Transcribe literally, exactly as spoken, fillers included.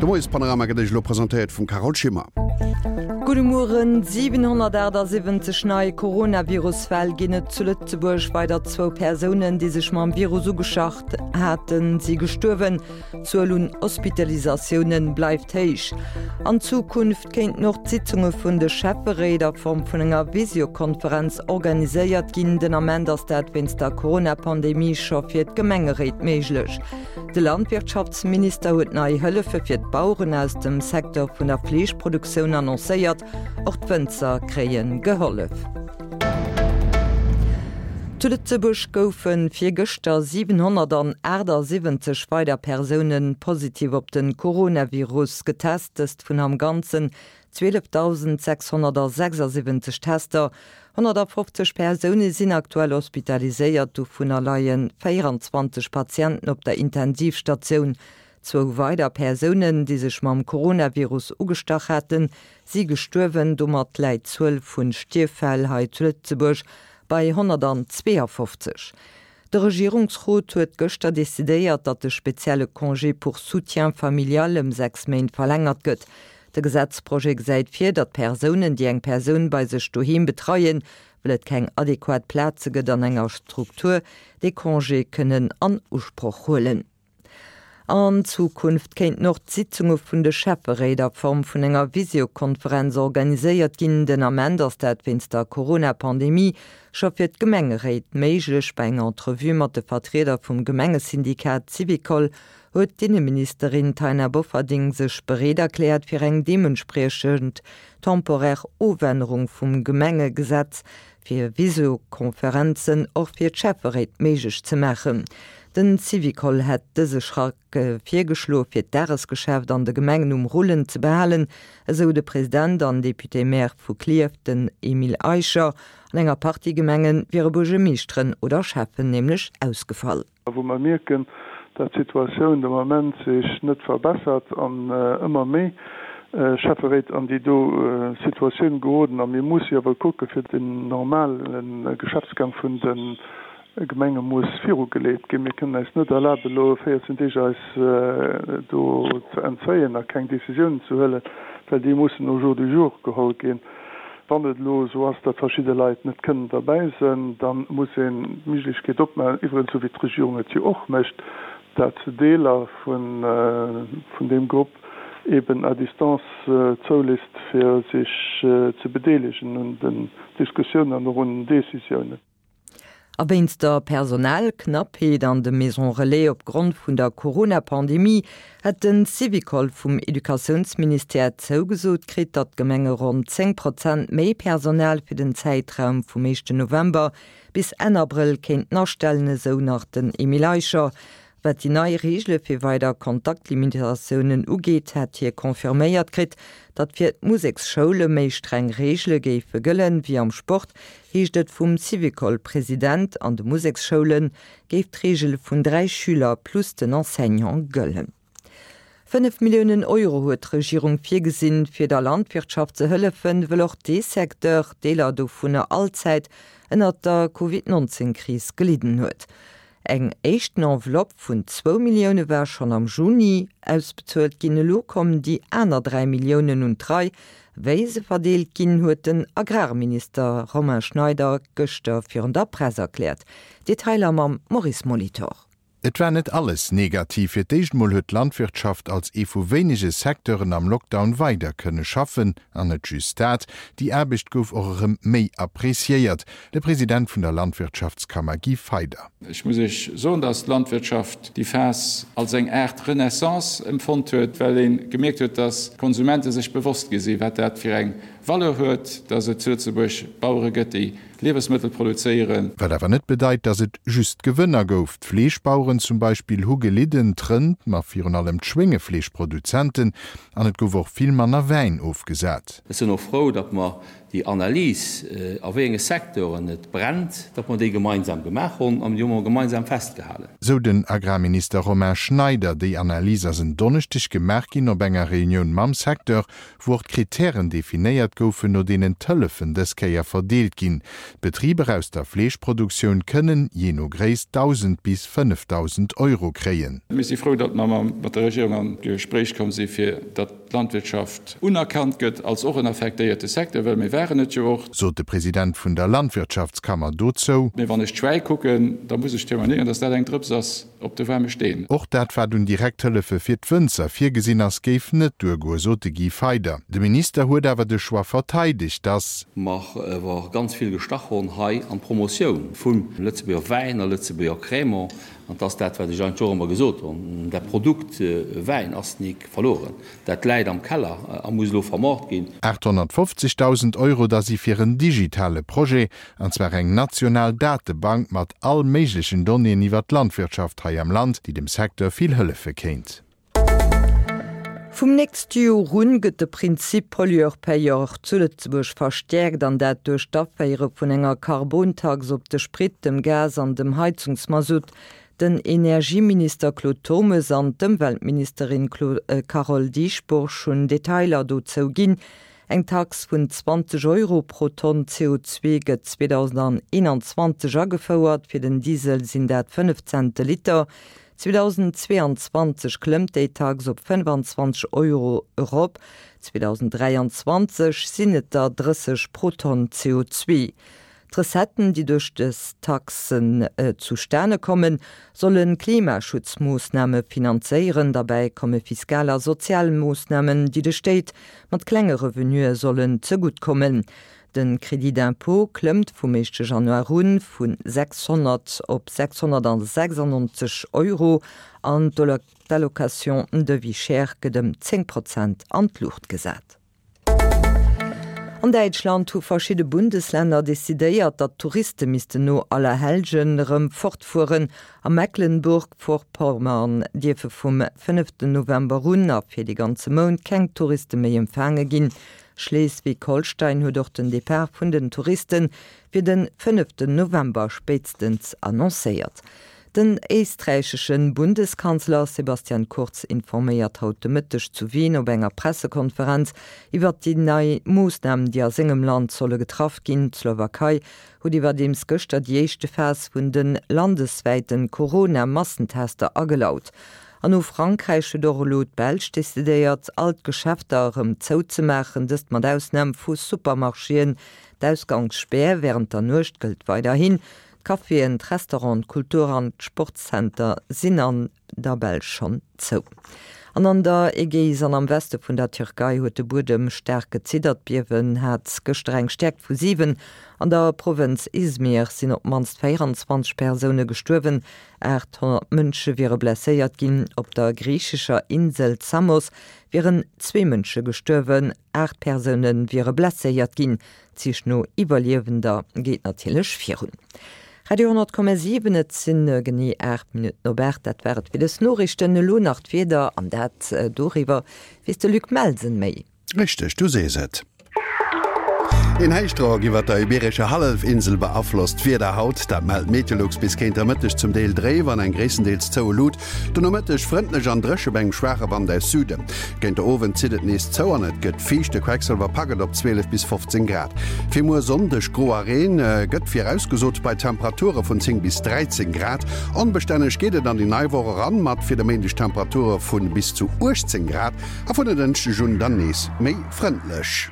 De Moiespanorama gëtt Iech elo presentéiert vum Carole Schimmer. Gudde Mueren, siwenhonnertaachtsiwwenzeg nei Coronavirus-Fäll ginn et zu Lëtzebuerg. Weider zwou Persounen, déi sech mam Virus ugeschacht haten, si gestuerwen. D'Zuel un Hospitalisatioune bleift héich. An Zukunft kéinten och d'Sitzunge vun de Schäfferéit a Form vun enger Visiokonferenz organiséiert ginn. Den Ament ass dat wéinst der Corona-Pandemie scho fir d'Gemengeréit méiglech. De Landwirtschaftsminister huet nei Hëllefe fir d'Baueren aus dem Secteur vun der Fleeschproduktioun annoncéiert. Och d'Wënzer kréie gehollef. Zu Lëtzebuerg goufe virgëschter siwenhonnertaachtsiwwenzeg weider Persoune positiv op de Coronavirus getest, dëst vun am Ganzen zwielefdausendsechshonnertsechsasiwwenzeg Tester. Honnertafofzeg Persoune sinn aktuell hospitaliséiert, dovunner leie véieranzwanzeg Patienten op der Intensivstatioun. Zwou weider Persounen, déi sech mam Coronavirus ugestach haten, si gestuerwen. Domat läit d'Zuel vu Stierffäll hei zu Lëtzebuerg bei honnertanzweeafofzeg. De Regierungsrot huet gëschter decidéiert, datt de spezielle Congé pour soutien familial ëm sechs Méint verlängert gëtt. De Gesetzprojet gesäit vir, datt Persounen, déi eng Persoun bei sech doheem betreien, well et keng adequat Plaze gëtt an enger Struktur, dee Congé kënnen an Usproch huelen. An Zukunft kéinten och d'Sitzunge vun de Schäfferéit a Form vun enger Visiokonferenz organiséiert ginn. Den Ament ass dat wéinst der Corona-Pandemie scho fir d'Gemengeréit méiglech. Bei enger Entrevue mat de Vertrieder vum Gemengesyndikat Syvicol huet d'Inneministerin Taina Bofferding sech bereet erkläert, fir eng deementspriechend temporär Ofännerung vum Gemengegesetz fir Visiokonferenzen och fir d'Schäfferéit méiglech ze maachen. Den Syvicol hätt dëse Schrack virgeschloe fir d'Dagesgeschäft an de Gemengen um Rullen ze behalen, esou de President an Député-Maire vu Klierf, den Emile Eicher. An enger Partie Gemenge wiere Buergermeeschteren oder Schäffen nämlech ausgefall. Wou mer mierken, dat d'Situatioun de Moment sech net verbessert an ëmmer méi Schäfferéit an déi do Situatioun geroden a mir musse jo awer kucke fir den normale Geschäftsgang vun de Gemenge muss virugeleet ginn. Mir kënnen eis net erlaben elo véierzehn Deeg eis do ze entzéien a keng Décisiounen ze huelen, well déi mussen au jour du jour geholl ginn. Wann et elo esou ass, datt verschidde Leit net kënnen derbäi sënn, da muss een d'Méiglechkeet opmaachen, iwwregens esou wéi d'Regierung et jo och mécht, dat Deeler vun deem Grupp eben à distance zouléisst, fir sech ze bedeelegen un den Diskussiounen an och un den Décisiounen. A wéinst der Personalknappheet an de Maisons Relais opgrond vun der Corona-Pandemie hätt de Syvicol vum Educatiounsministère zougesot kritt, datt d'Gemenge ronn zéng Prozent méi Personal fir den Zäitraum vum éischten November bis Enn Abrëll kéinten astellen, esou nach den Emile Eicher. Wat déi nei Reegele fir weider Kontaktlimitatiounen ugeet, hätt hie confirméiert kritt, datt fir d'Museksschoule méi streng Reegele géife gëllen, wéi am Sport, heescht et vum Syvicol-President. An de Museksschoule géif d'Reegel vun dräi Schüler plus den Enseignant gëllen. Fënnef Milliounen Euro huet d'Regierung virgesinn, fir der Landwirtschaft ze hëllefen, wëll och dee Secteur, Deeler dovunner allzäit ënnert der Covid neunzehn Kris gelidden huet. Eng éischten Enveloppe vun zwou Millioune war schonn am Juni ausbezuelt ginn. Elo kommen déi aner dräi Milliounen un d'Rei. Wéi se verdeelt ginn, huet den Agrarminister Romain Schneider gëschter virun der Press erkläert. Detailer mam Maurice Molitor. Et war net alles negativ. Fir d'éischt mol huet d'Landwirtschaft als ee vu wéinege Secteuren am Lockdown weider kënne schaffen. An net just dat, déi Aarbecht gouf och erëm méi appreciéiert. De President vun der Landwirtschaftskammer Guy Feyder. Ech muss Iech soen, datt d'Landwirtschaft déi Phas als eng Aart Renaissance empfonnt huet, well ee gemierkt huet, datt d'Konsumente sech bewosst gi sinn, wat dat fir eng Valeur huet, datt et zu Lëtzebuerg Bauere gëtt, déi Liewesmëttel produzéieren. Wat awer net bedeit, datt et just Gewënner gouf. D'Fleeschbaueren zum Beispill hu gelidden, d'Rënd, ma virun allem d'Schwéngefleeschproduzenten, an et gouf och vill manner Wäin ofgesat. Ech sinn och frou, datt mer déi Analys, a wéi enge Secteuren et brennt, datt mer déi gemeinsam gemaach hunn an déi hu mer gemeinsam festgehalen. Sou den Agrarminister Romain Schneider. Déi Analys ass en Donneschdeg gemaach ginn op enger Reunioun mam Secteur, wou och d'Krittären definéiert goufen, no deenen d'Hëllefen dës Kéier verdeelt ginn. D'Betriber aus der Fleeschproduktioun kënnen, jee no Gréisst, dausend bis fënnefdausend Euro kréien. Mir si frou, datt mer mat der Regierung an d'Gespréich komm si fir datt d'Landwirtschaft unerkannt gëtt als och en affektéierte Secteur, well mir waren et jo och. Sot de President vun der Landwirtschaftskammer dozou. Mee wann ech d'Schwäi kucken, da muss ech témoignéieren, dass dat eng Drëps ass op de waarme Steen. Och dat, wat un Direkthëllefe fir d'Wënzer virgesinn ass, géif net duergoen, sot de Guy Feyder. De Minister huet awer de Choix verteidegt, dass. Mer awer ganz vill gestach hunn hei an d'Promotioun vum Lëtzebuerger Wäin a Lëtzebuerger Crémant. An 't ass dat, wat ech eigentlech och ëmmer gesot hunn, Dat Produkt Wäin ass nik verlueren. Dat läit am Keller a muss elo vermaart ginn. Aathonnertfofzegdausend Euro da si fir en digitale Projet, an zwar eng national Datebank mat all méiglechen Donnéeën iwwer d'Landwirtschaft hei am Land, déi dem Secteur vill hëllefe kéint. Vum nächste Joer un gëtt de Prinzip Pollueur-Payeur zu Lëtzebuerg verstäerkt, an dat duerch d'Aféiere vun enger Karbontax op de Sprit, dem Gas an dem Heizungsmasutt. Den Energieminister Claude Turmes an d'Ëmweltministerin Carole Dieschbourg hunn Detailer dozou ginn. Eng Tax vun zwanzeg Euro pro Tonn C O zwee gëtt zweedausendeenanzwanzeg agefouert, fir den Diesel sinn dat fënnef Cent de Liter. zweedausendzweeanzwanzeg klëmmt déi Tax op fënnefanzwanzeg Euro erop, zweedausenddräianzwanzeg sinn et der drësseg pro Tonn C O zwee. D'Recetten, déi duerch dës Taxen zustane kommen, solle Klimaschutzmoossname finanzéieren. Derbäi komme fiskal a sozial Moossnamen, déi de Stéit mat klenge Revenuë sollen zegutt kommen. De Crédit d'impôt klëmmt vum éischte Januar un vu sechshonnert op sechshonnertsechsundneunzeg Euro an d'Allocation de vie chère gëtt ëm zéng Prozent an d'Luucht gesat. An Däitschland hu verschidde Bundesländer decidéiert, datt d'Touriste missten no Allerhellgen erëm fortfueren. A Mecklenburg-Vorpommern dierfe vum fënneften November un a fir de ganze Mount keng Touriste méi empfaange ginn. Schleswig-Holstein huet och den Depart vun den Touriste fir de fënneften November spéitstens annoncéiert. Den éisträichesche Bundeskanzler Sebastian Kurz informéiert haut de Mëtteg zu Wien op enger Pressekonferenz iwwer déi nei Moossnamen, déi a sengem Land solle getraff ginn. D'Slowakei huet iwwerdeems gëschter déi éischte Phas vun de landeswäite Corona-Massentester agelaut. An no Frankräich huet och elo d'Belsch decidéiert, all d'Geschäfter erëm zouzemaachen, dëst mat Ausnam vu Supermarchéen. D'Ausgangsspär wärend der Nuecht gëllt weiderhin. D'Caféen, d'Restauranten, d'Kultur an d'Sportszenter sinn an der Belsch schonn zou. An an der Ägäis an am Weste vun der Türkei huet de Buedem staark geziddert. D'Biewen hat gëschter eng Stäerkt vu siwen. An der Provënz Izmir sinn op d'mannst véierundzwanzeg Persoune gestuerwen, aathonnert Mënsche wiere blesséiert ginn. Op der griichescher Insel Samos wieren zwee Mënsche gestuerwen, aacht Persoune wiere blesséiert ginn. D'Sich no Iwwerliewender geet natierlech virun. Radio honnert Komma siwen, et sinn genee aacht Minutten op aacht. Dat war et fir dës Noriichten. Elo nach d'Wieder an dat doriwwer weess de Luc Melsen méi. Richteg, du sees et. Een Héichdrock iwwer der ibeerescher Hallefinsel beaflosst d'Wieder haut. Dat mellt Meteolux. Bis géint der Mëtteg zum Deel dréif an eng gréisstendeels zoue Lut. De Nomëtteg frëndlech an dréche bei engem schwaache Wand aus Süden. Géint de Owend zitt et nees zou an et gëtt fiicht. De Quecksëlwer packt et op zwielef bis fofzéng Grad. Fir muer Sonndeg gro a Reen gëtt virausgesot bei Temperature vun zéng bis dräizéng Grad. Onbestänneg geet et an déi nei Woch eran, mat fir de Méindeg Temperature vu bis zu uechtzéng Grad a vun en Dënschdeg un dann nees méi frëndlech.